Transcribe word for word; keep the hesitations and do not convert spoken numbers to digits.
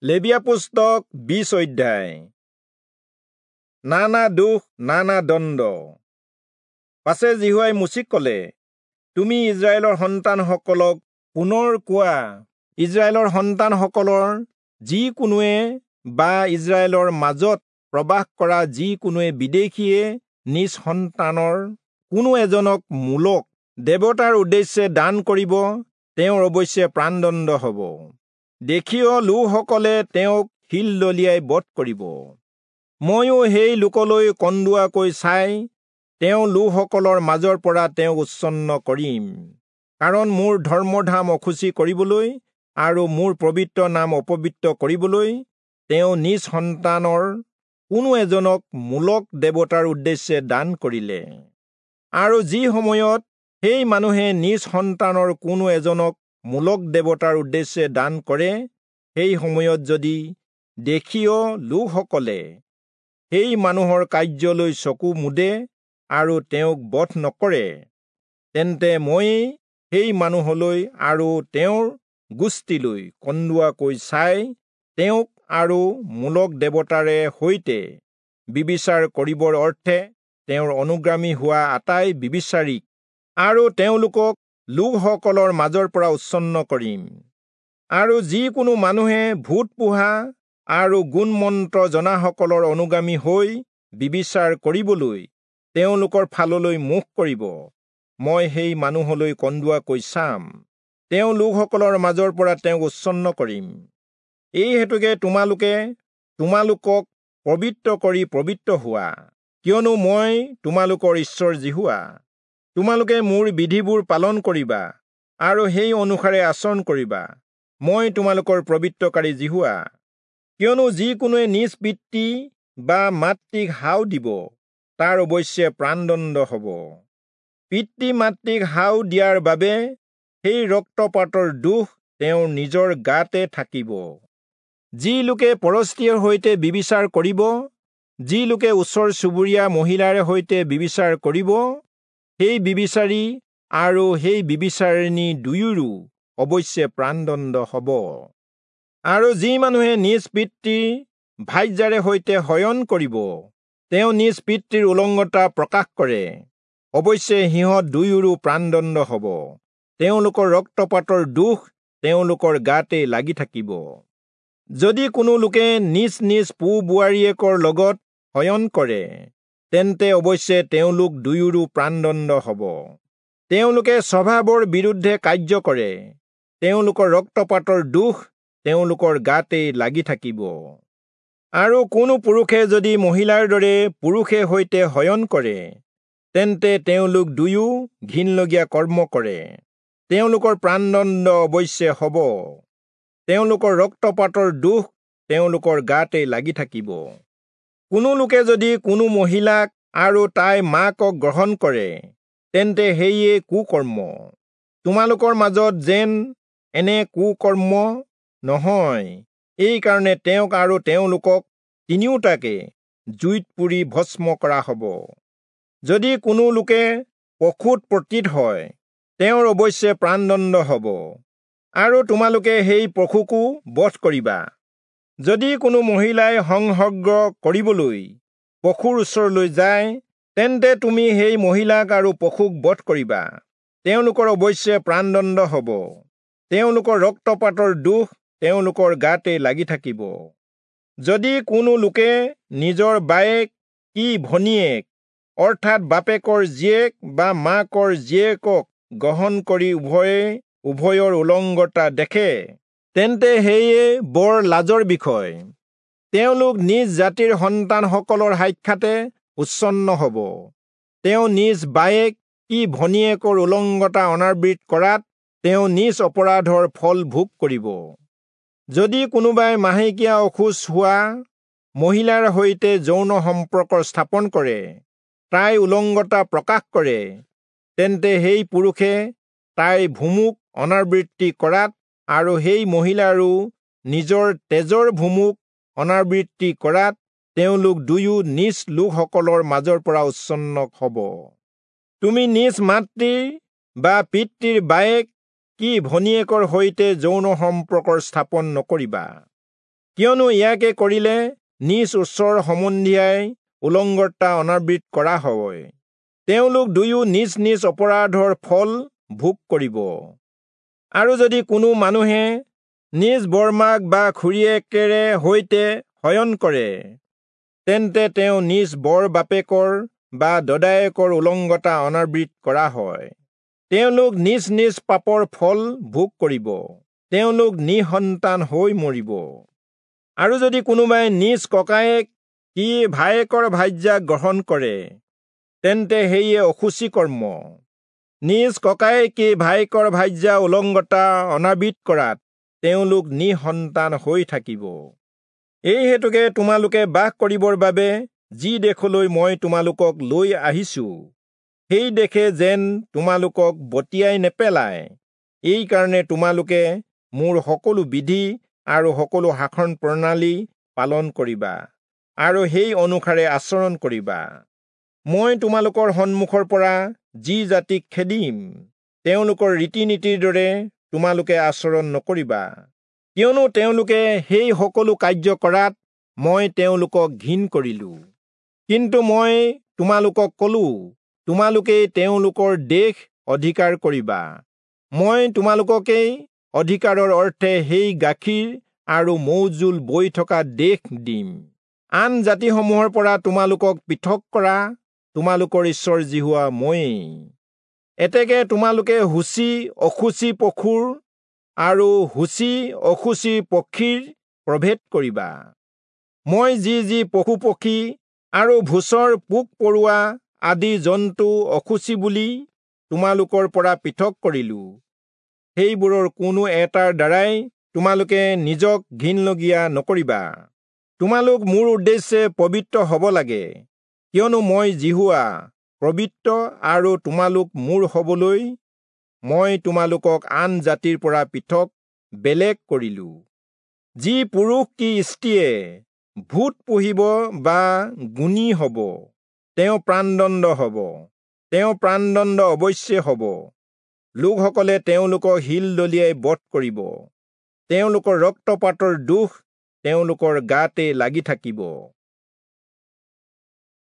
লেবীয়া পুস্তক বিশ অধ্যায়। নানা দোষ নানা দণ্ড। পাছে যিহোৱাই মোচিক কলে, তুমি ইস্ৰায়েলৰ সন্তানসকলক পুনৰ কোৱা, ইস্ৰায়েলৰ সন্তানসকলৰ যি কোনোৱে বা ইস্ৰায়েলৰ মাজত প্ৰবাস কৰা যি কোনোৱে বিদেশীয়ে নিজ সন্তানৰ কোনো এজনক মোলক দেৱতাৰ উদ্দেশ্যে দান কৰিব, তেওঁৰ অৱশ্যে প্ৰাণদণ্ড হ'ব। দেশীয় লোকসকলে তেওঁক শিল দলিয়াই বধ কৰিব। ময়ো সেই লোকলৈ কন্দুৱাকৈ চাই তেওঁ লোকসকলৰ মাজৰ পৰা তেওঁক উচ্ছন্ন কৰিম, কাৰণ মোৰ ধৰ্মধাম অশুচি কৰিবলৈ আৰু মোৰ পবিত্ৰ নাম অপবিত্ৰ কৰিবলৈ তেওঁ নিজ সন্তানৰ কোনো এজনক মোলক দেৱতাৰ উদ্দেশ্যে দান কৰিলে। আৰু যি সময়ত সেই মানুহে নিজ সন্তানৰ কোনো এজনক মোলক দেৱতাৰ উদ্দেশ্যে দান কৰে, সেই সময়ত যদি দেশীয় লোকসকলে সেই মানুহৰ কাৰ্যলৈ চকু মুদে আৰু তেওঁক বধ নকৰে, তেন্তে মই সেই মানুহলৈ আৰু তেওঁৰ গোষ্ঠীলৈ কন্দুৱাকৈ চাই তেওঁক আৰু মোলক দেৱতাৰে সৈতে ব্যভিচাৰ কৰিবৰ অৰ্থে তেওঁৰ অনুগামী হোৱা আটাই ব্যভিচাৰীক আৰু তেওঁলোকক লোকসকলৰ মাজৰ পৰা উচ্ছন্ন কৰিম। আৰু যিকোনো মানুহে ভূত পোহা আৰু গুণমন্ত্ৰ জনাসকলৰ অনুগামী হৈ ব্যভিচাৰ কৰিবলৈ তেওঁলোকৰ ফাললৈ মুখ কৰিব, মই সেই মানুহলৈ কন্দুৱাকৈ চাম, তেওঁ লোকসকলৰ মাজৰ পৰা তেওঁক উচ্ছন্ন কৰিম। এই হেতুকে তোমালোকে তোমালোকক পবিত্ৰ কৰি পবিত্ৰ হোৱা, কিয়নো মই তোমালোকৰ ঈশ্বৰ যিহোৱা। তোমালোকে মোৰ বিধিবোৰ পালন কৰিবা আৰু সেই অনুসাৰে আচৰণ কৰিবা। মই তোমালোকৰ পবিত্ৰকাৰী যিহোৱা। কিয়নো যিকোনোৱে নিজ পিতৃ বা মাতৃক হাও দিব, তাৰ অৱশ্যে প্ৰাণদণ্ড হ'ব। পিতৃ মাতৃক হাও দিয়াৰ বাবে সেই ৰক্তপাতৰ দোষ তেওঁৰ নিজৰ গাতে থাকিব। যি লোকে পৰস্ত্ৰীৰ সৈতে ব্যভিচাৰ কৰিব, যি লোকে ওচৰ চুবুৰীয়া মহিলাৰে সৈতে ব্যভিচাৰ কৰিব, সেই ব্যভিচাৰী আৰু সেই ব্যভিচাৰিণী দুয়োৰো অৱশ্যে প্ৰাণদণ্ড হ'ব। আৰু যি মানুহে নিজ পিতৃৰ ভাৰ্যাৰে সৈতে শয়ন কৰিব, তেওঁ নিজ পিতৃৰ উলংগতা প্ৰকাশ কৰে, অৱশ্যে সিহঁত দুয়োৰো প্ৰাণদণ্ড হ'ব। তেওঁলোকৰ ৰক্তপাতৰ দোষ তেওঁলোকৰ গাতে লাগি থাকিব। যদি কোনো লোকে নিজ নিজ পো বোৱাৰীয়েকৰ লগত শয়ন কৰে, তেন্তে অৱশ্যে তেওঁলোক দুয়োৰো প্ৰাণদণ্ড হ'ব। তেওঁলোকে স্বভাৱৰ বিৰুদ্ধে কাৰ্য কৰে, তেওঁলোকৰ ৰক্তপাতৰ দোষ তেওঁলোকৰ গাতে লাগি থাকিব। আৰু কোনো পুৰুষে যদি মহিলাৰ দৰে পুৰুষে সৈতে শয়ন কৰে, তেন্তে তেওঁলোক দুয়ো ঘিণলগীয়া কৰ্ম কৰে, তেওঁলোকৰ প্ৰাণদণ্ড অৱশ্যে হ'ব। তেওঁলোকৰ ৰক্তপাতৰ দোষ তেওঁলোকৰ গাতে লাগি থাকিব। কোনো লোকে যদি কোনো মহিলাক আৰু তাইৰ মাকক গ্ৰহণ কৰে, তেন্তে সেয়ে কুকৰ্ম। তোমালোকৰ মাজত যেন এনে কুকৰ্ম নহয়, এইকাৰণে তেওঁক আৰু তেওঁলোকক তিনিওটাকে জুইত পুৰি ভস্ম কৰা হ'ব। যদি কোনো লোকে পশুত পতিত হয়, তেওঁৰ অৱশ্যে প্ৰাণদণ্ড হ'ব, আৰু তোমালোকে সেই পশুকো বধ কৰিবা। যদি কোনো মহিলাই সংসৰ্গ কৰিবলৈ পশুৰ ওচৰলৈ যায়, তেন্তে তুমি সেই মহিলাক আৰু পশুক বধ কৰিবা, তেওঁলোকৰ অৱশ্যে প্ৰাণদণ্ড হ'ব। তেওঁলোকৰ ৰক্তপাতৰ দোষ তেওঁলোকৰ গাতে লাগি থাকিব। যদি কোনো লোকে নিজৰ বায়েক কি ভনীয়েক, অৰ্থাৎ বাপেকৰ জীয়েক বা মাকৰ জীয়েকক গ্ৰহণ কৰি উভয়ে উভয়ৰ উলংগতা দেখে, তেন্তে সেয়ে বৰ লাজৰ বিষয়। তেওঁলোক নিজ জাতিৰ সন্তানসকলৰ সাক্ষাতে উচ্ছন্ন হ'ব। তেওঁ নিজ বায়েক কি ভনীয়েকৰ উলংগতা অনাবৃত কৰাত তেওঁ নিজ অপৰাধৰ ফল ভোগ কৰিব। যদি কোনোবাই মাহেকীয়া অশৌচ হোৱা মহিলাৰ সৈতে যৌন সম্পৰ্ক স্থাপন কৰে, তাই উলংগতা প্ৰকাশ কৰে, তেন্তে সেই পুৰুষে তাইৰ ভুমুক অনাবৃত্তি কৰাত আৰু সেই মহিলাৰো নিজৰ তেজৰ ভুমুক অনাবৃত্তি কৰাত তেওঁলোক দুয়ো নিজ লোকসকলৰ মাজৰ পৰা উচ্ছন্ন হ'ব। তুমি নিজ মাতৃৰ বা পিতৃৰ বায়েক কি ভনীয়েকৰ সৈতে যৌন সম্পৰ্ক স্থাপন নকৰিবা। কিয়নো ইয়াকে কৰিলে নিজ ওচৰ সম্বন্ধীয়াই উলংগতা অনাবৃত কৰা হয়। তেওঁলোক দুয়ো নিজ নিজ অপৰাধৰ ফল ভোগ কৰিব। আৰু যদি কোনো মানুহে নিজ বৰমাক বা খুৰীয়েকেৰে সৈতে শয়ন কৰে, তেন্তে তেওঁ নিজ বৰ বাপেকৰ বা দদায়েকৰ উলংগতা অনাবৃত কৰা হয়। তেওঁলোক নিজ নিজ পাপৰ ফল ভোগ কৰিব। তেওঁলোক নিঃসন্তান হৈ মৰিব। আৰু যদি কোনোবাই নিজ ককায়েক কি ভায়েকৰ ভাৰ্যাক গ্ৰহণ কৰে, তেন্তে সেয়ে অশুচি কৰ্ম। নিজ ককায়েক কি ভায়েকৰ ভাৰ্যা উলংগতা অনাবৃত কৰাত তেওঁলোক নিঃসন্তান হৈ থাকিব। এই হেতুকে তোমালোকে বাস কৰিবৰ বাবে যি দেশলৈ মই তোমালোকক লৈ আহিছো, সেই দেশে যেন তোমালোকক বটিয়াই নেপেলায়, এইকাৰণে তোমালোকে মোৰ সকলো বিধি আৰু সকলো শাসন প্ৰণালী পালন কৰিবা আৰু সেই অনুসাৰে আচৰণ কৰিবা। মই তোমালোকৰ সন্মুখৰ পৰা যি জাতিক খেদিম, তেওঁলোকৰ ৰীতি নীতিৰ দৰে তোমালোকে আচৰণ নকৰিবা, কিয়নো তেওঁলোকে সেই সকলো কাৰ্য কৰাত মই তেওঁলোকক ঘিণ কৰিলো। কিন্তু মই তোমালোকক কলো, তোমালোকেই তেওঁলোকৰ দেশ অধিকাৰ কৰিবা। মই তোমালোককেই অধিকাৰৰ অৰ্থে সেই গাখীৰ আৰু মৌজোল বৈ থকা দেশ দিম। আন জাতিসমূহৰ পৰা তোমালোকক পৃথক কৰা তোমালোকৰ ঈশ্বৰ যিহোৱা ময়েই। এতেকে তোমালোকে শুচি অশুচি পশুৰ আৰু শুচি অশুচি পক্ষীৰ প্ৰভেদ কৰিবা। মই যি যি পশু পক্ষী আৰু ভূচৰ পোক পৰুৱা আদি জন্তু অশুচি বুলি তোমালোকৰ পৰা পৃথক কৰিলো, সেইবোৰৰ কোনো এটাৰ দ্বাৰাই তোমালোকে নিজক ঘিণলগীয়া নকৰিবা। তোমালোক মোৰ উদ্দেশ্যে পবিত্ৰ হ'ব লাগে, কিয়নো মই যিহোৱা পবিত্ৰ, আৰু তোমালোক মোৰ হ'বলৈ মই তোমালোকক আন জাতিৰ পৰা পৃথক বেলেগ কৰিলো। যি পুৰুষ কি স্ত্ৰীয়ে ভূত পুহিব বা গুণী হ'ব, তেওঁ প্ৰাণদণ্ড হ'ব। তেওঁ প্ৰাণদণ্ড অৱশ্যে হ'ব। লোকসকলে তেওঁলোকক শিল দলিয়াই বধ কৰিব। তেওঁলোকৰ ৰক্তপাতৰ দোষ তেওঁলোকৰ গাতে লাগি থাকিব।